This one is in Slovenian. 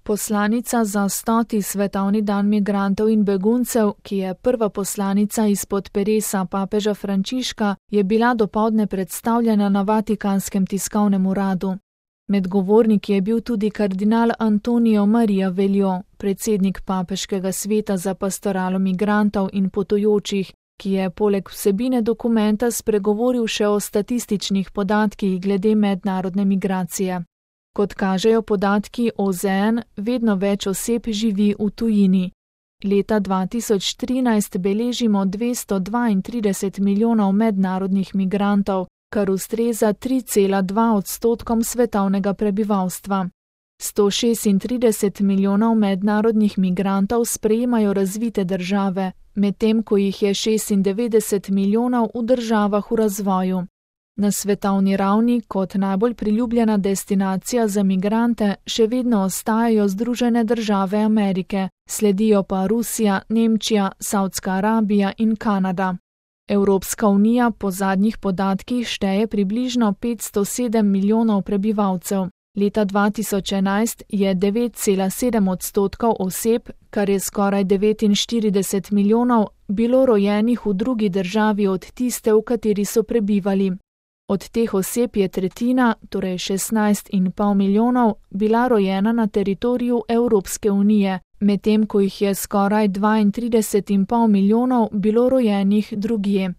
Poslanica za 100. svetovni dan migrantov in beguncev, ki je prva poslanica izpod peresa papeža Frančiška, je bila dopoldne predstavljena na Vatikanskem tiskovnem uradu. Med govorniki je bil tudi kardinal Antonio Maria Veljo, predsednik papeškega sveta za pastoralo migrantov in potujočih, ki je poleg vsebine dokumenta spregovoril še o statističnih podatkih glede mednarodne migracije. Kot kažejo podatki OZN, vedno več oseb živi v tujini. Leta 2013 beležimo 232 milijonov mednarodnih migrantov, kar ustreza 3,2% svetovnega prebivalstva. 136 milijonov mednarodnih migrantov sprejemajo razvite države, medtem ko jih je 96 milijonov v državah v razvoju. Na svetovni ravni kot najbolj priljubljena destinacija za migrante še vedno ostajajo Združene države Amerike, sledijo pa Rusija, Nemčija, Savdska Arabija in Kanada. Evropska unija po zadnjih podatkih šteje približno 507 milijonov prebivalcev. Leta 2011 je 9,7% oseb, kar je skoraj 49 milijonov, bilo rojenih v drugi državi od tiste, v kateri so prebivali. Od teh oseb je tretjina, torej 16,5 milijonov, bila rojena na teritoriju Evropske unije, medtem ko jih je skoraj 32,5 milijonov bilo rojenih drugje.